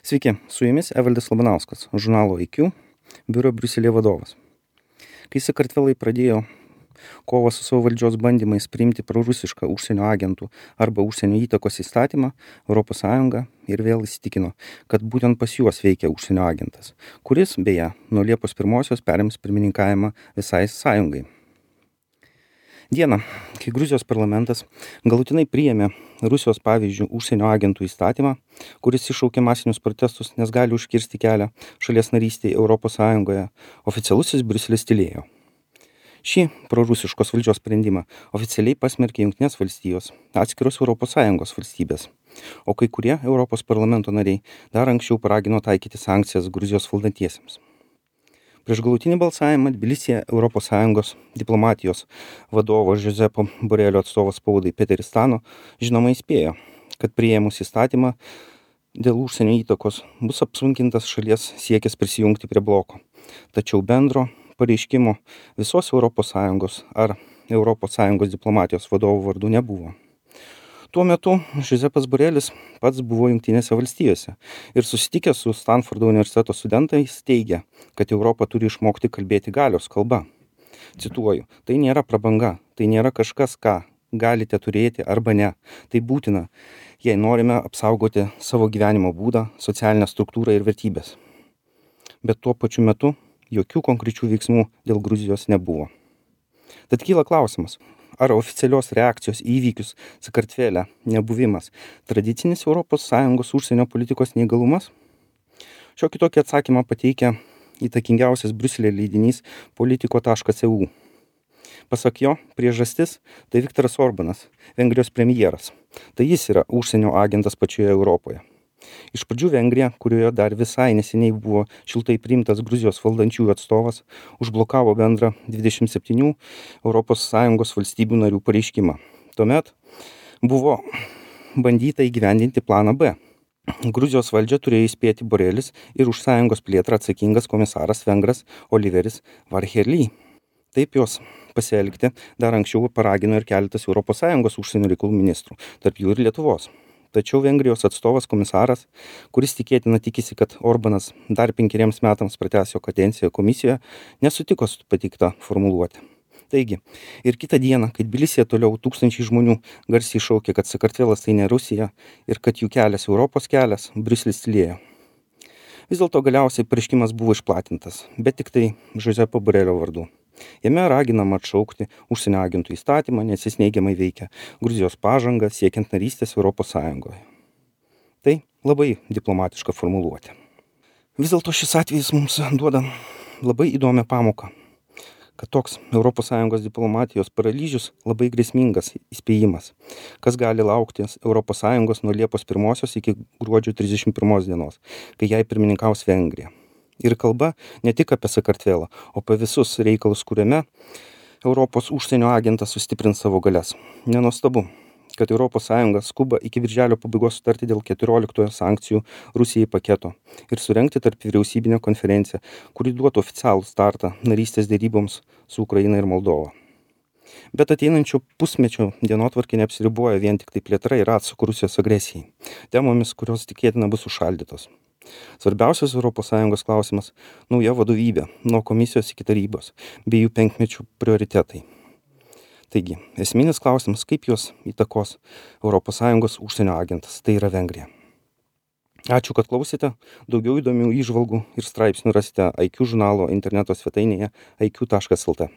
Sveiki, su jumis Evaldas Labanauskas, žurnalo IQ, biuro Briuselėje vadovas. Kai Sakartvelai pradėjo kovą su savo valdžios bandymais priimti prorusišką užsienio agentų arba užsienio įtakos įstatymą, ES ir vėl įsitikino, kad būtent pas juos veikia užsienio agentas, kuris, beje, nuo Liepos 1 perims pirmininkavimą visai sąjungai. Dieną, kai Gruzijos parlamentas galutinai priėmė Rusijos pavyzdžių užsienio agentų įstatymą, kuris iššaukė masinius protestus, nes gali užkirsti kelią šalies narystėje ES, oficialusis Briuselis tylėjo. Šį prorusiškos valdžios sprendimą oficialiai pasmerkė Jungtinės valstijos, atskiros ES valstybės, o kai kurie Europos parlamento nariai dar anksčiau paragino taikyti sankcijas Gruzijos valdantiesiems. Prieš galutinį balsavimą Tbilisyje ES diplomatijos vadovo Žozepo Borelio atstovas spaudai Peteris Stano žinoma įspėjo, kad priėmus įstatymą dėl užsienio įtakos bus apsunkintas šalies siekis prisijungti prie bloko, tačiau bendro pareiškimo visos ES ar ES diplomatijos vadovų vardu nebuvo. Tuo metu Žozepas Borelis pats buvo Jungtinėse valstijose ir susitikęs su Stanfordo universiteto studentais teigė, kad Europa turi išmokti kalbėti galios kalba. Cituoju, tai nėra prabanga, tai nėra kažkas, ką galite turėti arba ne. Tai būtina, jei norime apsaugoti savo gyvenimo būdą, socialinę struktūrą ir vertybės. Bet tuo pačiu metu jokių konkrečių veiksmų dėl Gruzijos nebuvo. Tad kyla klausimas, ar oficialios reakcijos į įvykius Sakartvele nebuvimas tradicinis ES užsienio politikos neįgalumas? Šiokį tokį atsakymą pateikia įtakingiausias Briuselio leidinys politico.eu. Pasak jo, priežastis tai Viktoras Orbanas, Vengrijos premjeras. Tai jis yra užsienio agentas pačioje Europoje. Iš pradžių Vengrija, kurioje dar visai neseniai buvo šiltai priimtas Gruzijos valdančiųjų atstovas, užblokavo bendrą 27 ES valstybių narių pareiškimą. Tuomet buvo bandyta įgyvendinti planą B. Gruzijos valdžią turėjo įspėti Borelis ir už sąjungos plėtrą atsakingas komisaras vengras Oliveris Varhelyi. Taip jos pasielgti dar anksčiau paragino ir keletas ES užsienio reikalų ministrų, tarp jų ir Lietuvos. Tačiau Vengrijos atstovas komisaras, kuris tikėtina tikisi, kad Orbanas dar 5 metams pratęs jo kadenciją komisijoje, nesutiko su pateikta formuluotė. Taigi, ir kitą dieną, kai Tbilisyje toliau tūkstančiai žmonių garsiai šaukė, kad Sakartvelas tai ne Rusija ir kad jų kelias Europos kelias, Briuselis tylėjo. Vis dėlto galiausiai pareiškimas buvo išplatintas, bet tik tai Žozepo Borelio vardu. Jame raginama atšaukti užsienio agentų įstatymą, nes jis neigiamai veikia Gruzijos pažangą siekiant narystės ES. Tai labai diplomatiška formuluotė. Vis dėlto šis atvejis mums duoda labai įdomią pamoką, kad toks ES diplomatijos paralyžius labai grėsmingas įspėjimas, kas gali laukti ES nuo Liepos 1 iki gruodžio 31 dienos, kai jai pirmininkaus Vengrija. Ir kalba ne tik apie Sakartvelą, o apie visus reikalus, kuriame Europos užsienio agentas sustiprins savo galias. Nenuostabu, kad ES skuba iki birželio pabaigos sutarti dėl 14 sankcijų Rusijai paketo ir surengti tarp vyriausybinę konferenciją, kuri duotų oficialų startą narystės deryboms su Ukraina ir Moldova. Bet ateinančio pusmečio dienotvarkė neapsiriboja vien tik tai plėtra ir atsaku Rusijos agresijai, temomis, kurios tikėtina bus užšaldytos. Svarbiausias ES klausimas – nauja vadovybė, nuo komisijos iki tarybos, bei jų 5-mečių prioritetai. Taigi, esminis klausimas, kaip juos įtakos ES užsienio agentas, tai yra Vengrija. Ačiū, kad klausėte. Daugiau įdomių įžvalgų ir straipsnių rasite IQ žurnalo interneto svetainėje iq.lt.